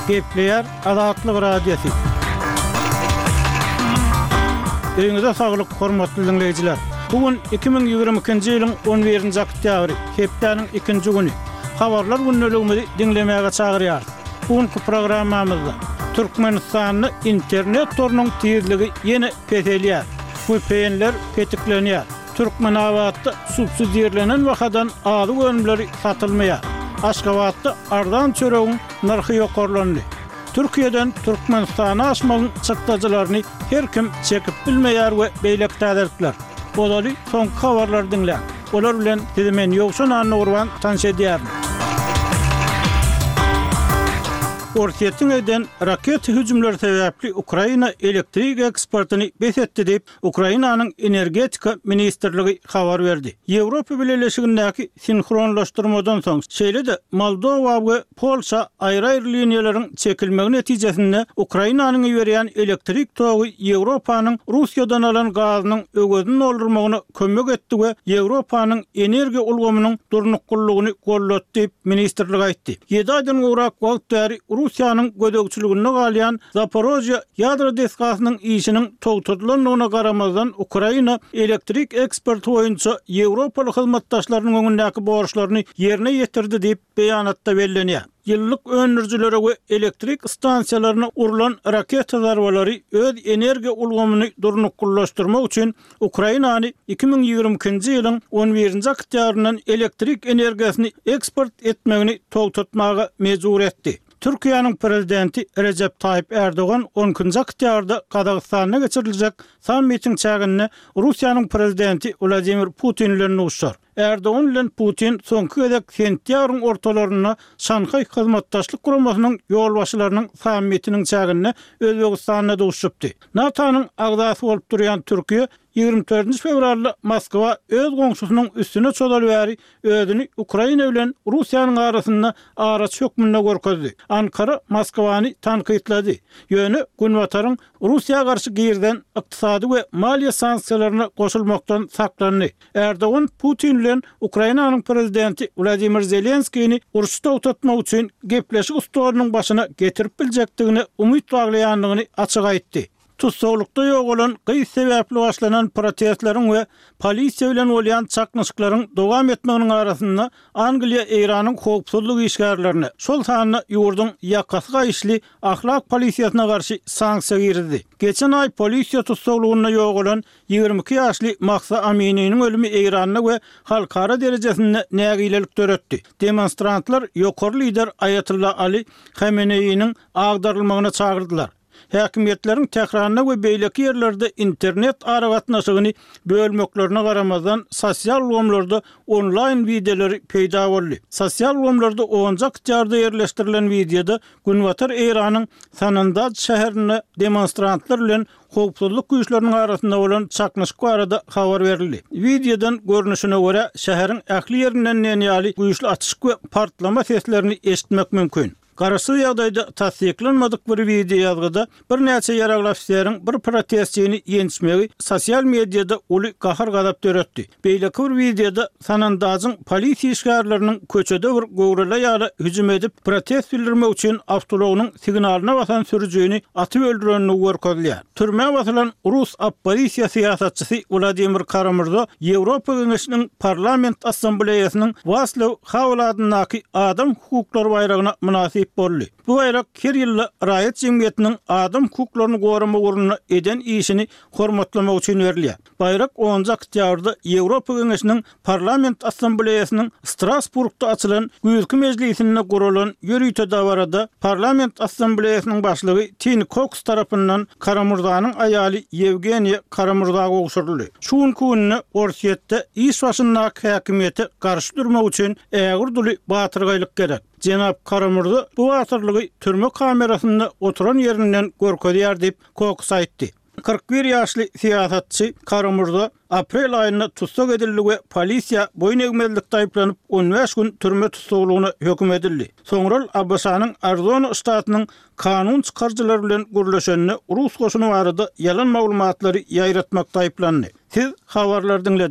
Gepleýär Azatlyk Radiosy. Öýüňize saglyk, hormatly diňleýjiler! Bu gün 2022-nji ýylyň on birinji oktýabry, hepdäniň ikinji güni. Habarlar gündeligimizi diňlemäge çagyrýarys. Bu günki programmamyzda Türkmenistanda internet torunyň tizligi ýene peselýär, VPN-ler petiklenýär, Türkmenabatda subsidirlenen bahadan azyk önümleri satylmaýar, Aşgabatda arzan çöregiň nyrhy ýokarlandy. Türkiýeden Türkmenistana aşmagyň çykdajylaryny her kim çekip bilmeýär we beýleki täzelikler. Ozaly soňky habarlary diňläň. Olar bilen sizi men Ýowşan Annagurban tanyş edýärin. Orsýetiň eden raketa hüjümleri sebäpli Ukraina elektrik eksportyny bes etdi diýip, Ukrainanyň Energetika ministrligi habar berdi. Ýewropa Bileleşigindäki sinhronlaşdyrmadan soň, şeýle-de Moldowa we Polşa aýry-aýry liniýalaryň çekilmegi netijesinde Ukrainanyň iberýän elektrik togy Ýewropanyň Russiýadan alan gazynyň öwezini doldurmagyna kömek etdi we Ýewropanyň energiýa ulgamynyň durnuklylygyny goldady diýip, ministrlik aýtdy. Ýedi aýdan gowrak wagt bäri Russiýanyň gözegçiliginde galýan Zaporožýe ýadro desgasynyň işiniň togtadylandygyna garamazdan, Ukraina elektrik eksporty boýunça ýewropaly hyzmatdaşlarynyň öňündäki borçlaryny ýerine ýetirdi diýip, beýanatda bellenýär. Ýylylyk öndürijilere we elektrik stansiýalaryna urlan raketa zarbalary öz energiýa ulgamyny durnuklylaşdyrmak üçin Ukrainany 2022-nji ýylyň on birinji oktýabryndan elektrik energiýasyny eksport etmegini togtatmaga mejbur etdi. Türkiýäniň Prezidenti Rejep Taýyp Ärdogan on ikinji oktýabrda Gazagystanda geçiriljek sammitiň çäginde Russiýanyň Prezidenti Wladimir Putin bilen duşuşar. Ärdogan bilen Putin soňky gezek sentýabryň ortalarynda Şanhaý Hyzmatdaşlyk Guramasynyň ýolbaşçylarynyň sammitiniň çäginde Özbegistanda duşuşypdy. NATO-nyň agzasy bolup durýan Türkiýe 24 fewralda Moskwa öz goňşusynyň üstüne çozaly bäri özüni Ukraina bilen Russiýanyň arasynda araçy hökmünde görkezdi. Ankara Moskwany tankytlady. Ýöne Günbataryň Russiýa garşy girizen ykdysady we maliýe sanksiýalaryna goşulmakdan saklandy. Erdogan Putin bilen Ukrainanyň prezidenti Wladimir Zelenskini urşy togtatmak üçin gepleşik stolunyň başyna getirip biljekdigine umyt baglaýandygyny açyk aýtdy. Tussaglykda ýogalan gyz sebäpli başlanan protestleriň we polisiýa bilen bolýan çaknyşyklaryň dowam etmeginiň arasynda Angliýa Eýranyň howpsuzlyk işgärlerine, şol sanda ýurduň ýakasy gaýyşly ahlak polisiýasyna garşy sanksiýa girizdi. Geçen aý polisiýa tussaglygynda ýogalan 22 ýaşly Mahsa Amininiň ölümi Eýranda we halkara derejesinde nägilelik döretdi. Demonstrantlar ýokary lider Aýatolla Ali Hameneýiniň agdarylmagyna çagyrdylar. Häkimiýetleriň Tähranda we beýleki ýerlerde internet aragatnaşygyny bölmeklerine garamazdan, sosial ulgamlarda onlaýn wideolary peýda boldy. Sosial ulgamlarda onunjy oktýabrda ýerleşdirilen wideoda günbatar Eýranyň Sanandaj şäherinde demonstrantlar bilen howpsuzlyk güýçleriniň arasynda bolan çaknyşyk barada habar berildi. Wideodan görnüşine görä, şäheriň ähli ýerinden diýen ýaly güýçli atyşyk we partlama seslerini eşitmek mümkin. Garaşsyz ýagdaýda tassyklanmadyk bir wideoýazgyda birnäçe ýaragly ofiseriň bir protestçini ýençmegi sosial mediada uly gahar-gazap döretdi. Beýleki bir wideoda Sanandajyň polisiýa işgärleriniň köçede bir göwreli aýala hüjüm edip, protest bildirmek üçin awtoulagynyň signalyna basan sürüjini atyp öldürendigi görkezilýär. Türmä basylan rus oppozisiýa syýasatçysy Wladimir Kara-Murza Ýewropa Geňeşiniň Parlament Assambleýasynyň Waslew Hawel adyndaky adam hukuklary baýragyna mynasyp boldy. Bu baýrak her ýylda raýat jemgyýetiniň adam hukuklaryny goramak ugrunda eden işini hormatlamak üçin berilýär. Baýrak onunjy oktýabrda Ýewropa Geňeşiniň Parlament Assambleýasynyň Strasburgda açylan güýzki mejlisinde guralan ýörite dabarada Parlament Assambleýasynyň başlygy Tini Koks tarapyndan Kara-Murzanyň aýaly Ýewgeniýa Kara-Murza gowşuryldy. Şu günki günde Orsýetde iş başyndaky häkimiýete garşy durmak üçin ägirt uly batyrgaýlyk gerek. Jenap Kara-Murza bu batyrlygy türme kamerasynda oturan ýerinden görkezýär diýip, Koks aýtdy. 41 ýaşly syýasatçy Kara-Murza aprel aýynda tussag edildi we polisiýa boýun egmezlikde aýyplanyp, 15 gün türme tussaglygyna höküm edildi. Soňra ol ABŞ-nyň Arizona ştatynyň kanun çykaryjylary bilen gürleşende rus goşuny barada ýalan maglumatlary ýaýratmakda aýyplandy. Siz habarlary diňlediňiz.